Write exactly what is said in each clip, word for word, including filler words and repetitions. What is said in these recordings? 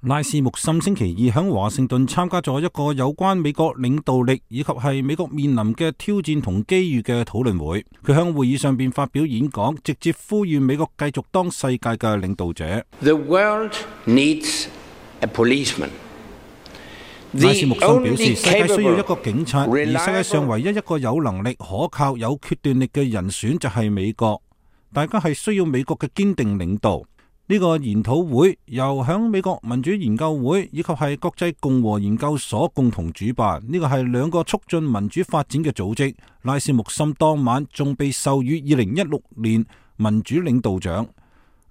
拉斯穆森星期二喺華盛頓參加咗一個有關美國領導力以及係美國面臨嘅挑戰同機遇嘅討論會。佢喺會議上邊發表演講，直接呼籲美國繼續當世界嘅領導者。The world needs a policeman. 拉斯穆森表示，世界需要一個警察，而世界上唯一一個有能力、可靠、有決斷力嘅人選就係美國。大家係需要美國嘅堅定領導。呢個研討會由響美國民主研究會以及係國際共和研究所共同主辦，呢個係兩個促進民主發展嘅組織。拉斯穆森當晚仲被授予二零一六年民主領導獎。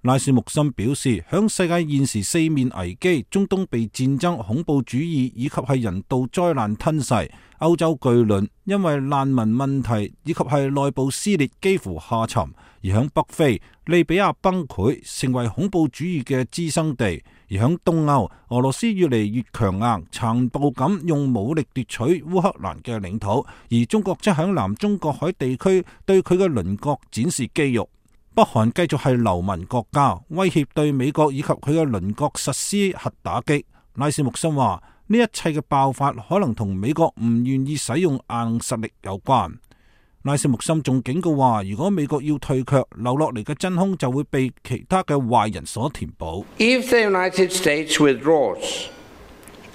拉斯穆森表示，響世界現時四面危機，中東被戰爭、恐怖主義以及係人道災難吞噬，歐洲巨輪因為難民問題以及係內部撕裂幾乎下沉，而響北非利比亞崩潰，成為恐怖主義嘅滋生地；而響東歐，俄羅斯越嚟越強硬，殘暴咁用武力奪取烏克蘭嘅領土，而中國則響南中國海地區對佢嘅鄰國展示肌肉。北韓繼續係流氓國家，威脅對美國以及佢嘅鄰國實施核打擊。拉斯穆森話：呢一切嘅爆發可能同美國唔願意使用硬實力有關。拉斯穆森仲警告話：如果美國要退卻，留落嚟嘅真空就會被其他嘅壞人所填補。If the United States withdraws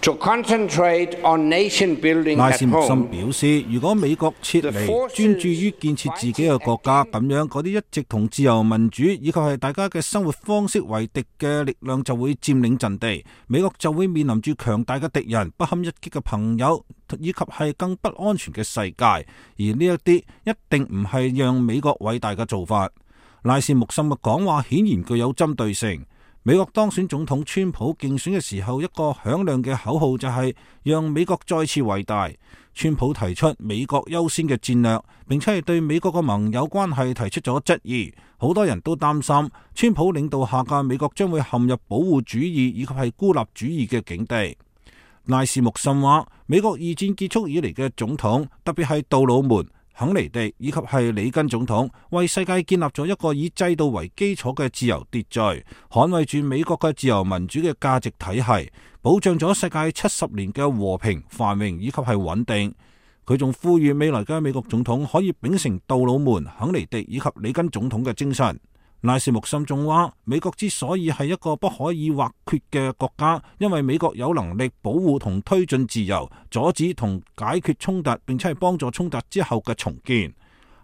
to concentrate on nation building at home, 拉斯穆森表示，如果美國撤離，專注於建設自己嘅國家，咁樣嗰啲一直同自由民主以及係大家嘅生活方式為敵嘅力量就會佔領陣地，美國就會面臨住強大嘅敵人、不堪一擊嘅朋友以及係更不安全嘅世界，而呢一啲一定唔係讓美國偉大嘅做法。拉斯穆森嘅講話顯然具有針對性。美國當選總統川普競選嘅時候，一個響亮嘅口號就係讓美國再次偉大。川普提出美國優先嘅戰略，並且係對美國嘅盟友關係提出咗質疑。好多人都擔心川普領導下嘅美國將會陷入保護主義以及係孤立主義嘅境地。拉斯穆森話，美國二戰結束以嚟嘅總統，特別係杜魯門、肯尼迪以及係里根總統，為世界建立咗一個以制度為基礎嘅自由秩序，捍衛住美國嘅自由民主嘅價值體系，保障咗世界七十年嘅和平繁榮以及係穩定。佢仲呼籲未來嘅美國總統可以秉承杜魯門、肯尼迪以及里根總統嘅精神。拉斯穆森仲話，美國之所以係一個不可以或缺嘅國家，因為美國有能力保護同推進自由，阻止同解決衝突，並且係幫助衝突之後嘅重建。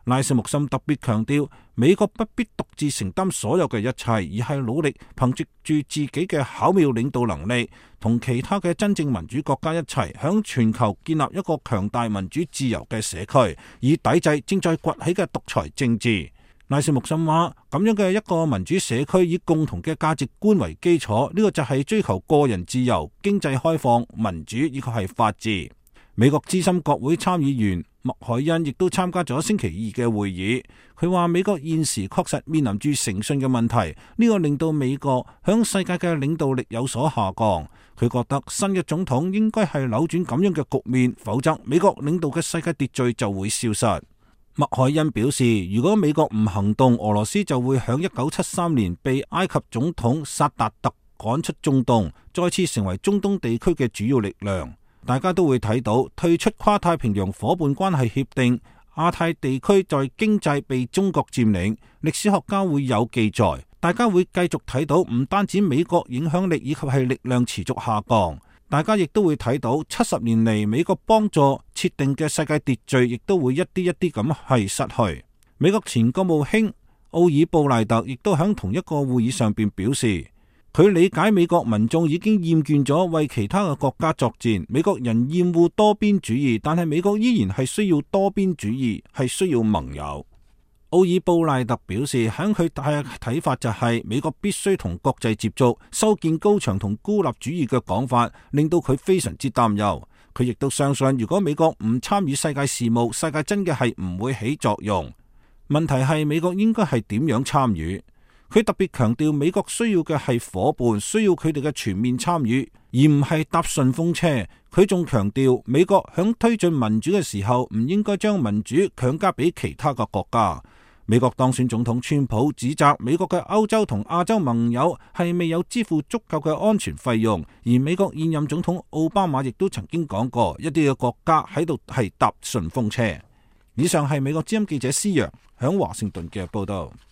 拉斯穆森特別強調，美國不必獨自承擔所有嘅一切，而係努力憑藉住自己嘅巧妙領導能力，同其他嘅真正民主國家一齊，響全球建立一個強大民主自由嘅社區，以抵制正在崛起嘅獨裁政治。拉斯穆森話，咁樣嘅一個民主社區以共同嘅價值觀為基礎，呢個就係追求個人自由、經濟開放、民主以及係法治。美國資深國會參議員麥凱恩亦都參加咗星期二嘅會議。佢話美國現時確實面臨住誠信嘅問題，呢個令到美國響世界嘅領導力有所下降。佢覺得新嘅總統應該係扭轉咁樣嘅局面，否則美國領導嘅世界秩序就會消失。麥凱恩表示，如果美國唔行動，俄羅斯就會響一九七三年被埃及總統薩達特趕出中東，再次成為中東地區嘅主要力量。大家都會睇到退出跨太平洋夥伴關係協定，亞太地區在經濟被中國佔領。歷史學家會有記載，大家會繼續睇到唔單止美國影響力以及係力量持續下降，大家亦都會睇到七十年嚟美國幫助設定嘅世界秩序，亦都會一啲一啲咁係失去。美國前國務卿奧爾布賴特亦都喺同一個會議上邊表示，佢理解美國民眾已經厭倦咗為其他嘅國家作戰，美國人厭惡多邊主義，但係美國依然係需要多邊主義，係需要盟友。奧爾布賴特表示，喺佢嘅睇法就係美國必須同國際接觸，修建高牆同孤立主義嘅講法令到佢非常之擔憂。佢亦都相信，如果美國唔參與世界事務，世界真嘅係唔會起作用。問題係美國應該係點樣參與？佢特別強調美國需要嘅係夥伴，需要佢哋嘅全面參與，而唔係搭順風車。佢仲強調美國響推進民主嘅時候，唔應該將民主強加俾其他嘅國家。美國當選總統川普指責美國嘅歐洲同亞洲盟友係未有支付足夠嘅安全費用，而美國現任總統奧巴馬亦都曾經講過，一啲嘅國家喺度係搭順風車。以上係美國之音記者施揚響華盛頓嘅報道。